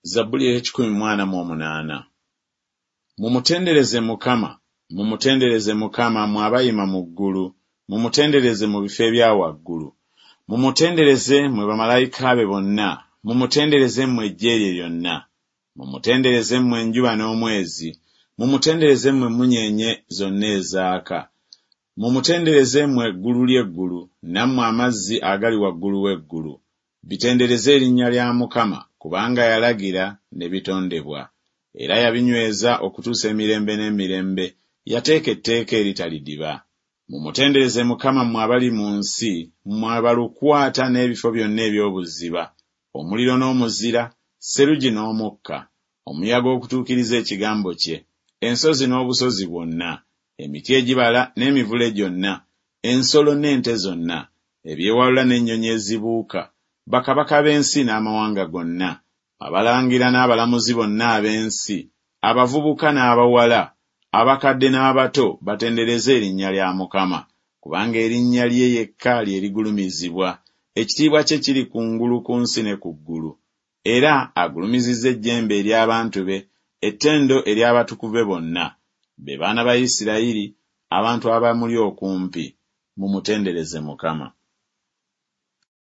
Zabbuli ey'ekikumi mu ana mu omunaana. Mumutendereze Mukama, mumutendereze Mukama, mmwe abayima mu ggulu, mumutendereze mu bifo ebya waggulu. Mumutendereze mmwe bamalayika be bonna, mumutendereze mmwe eggye lye lyonna. Mumutendereze mmwe enjuba n'omwezi, mumutendereze mmwe emmunyeenye zonna ezaaka. Mumutendereze mmwe eggulu ly'eggulu, nammwe amazzi agali waggulu w'eggulu. Bitendereze erinnya lya Mukama, kubanga yalagira, ne bitondebwa. Era yabinyweza okutuusa emirembe n'emirembe, yateeka etteeka eritalidiba. Mumutendereze Mukama mmwe abali mu nsi, mmwe balukwata n'ebifo byonna eby'obuziba, omuliro n'omuzira, sserugi n'omukka, omuyaga okutuukiriza ekigambo kye, ensozi n'obusozi bwonna, emiti egibala n'emivule gyonna, ensolo n'ente zonna, ebyewalula n'ennyonyi ezibuuka, bakabaka b'ensi n'amawanga gonna, abalangira n'abalamuzi bonna ab'ensi, abavubuka n'abawala, abakadde n'abato batendereze erinnya lya Mukama, kubanga erinnya lye yekka lye ligulumizibwa, ekitiibwa kye kiri kungulu ku nsi ne ku ggulu. Era agulumizizza ejjembe ery'abantu be, ettendo ery'abatukuvu be bonna, be baana ba Isirayiri, abantu abamuli okumpi. Mumutendereze Mukama.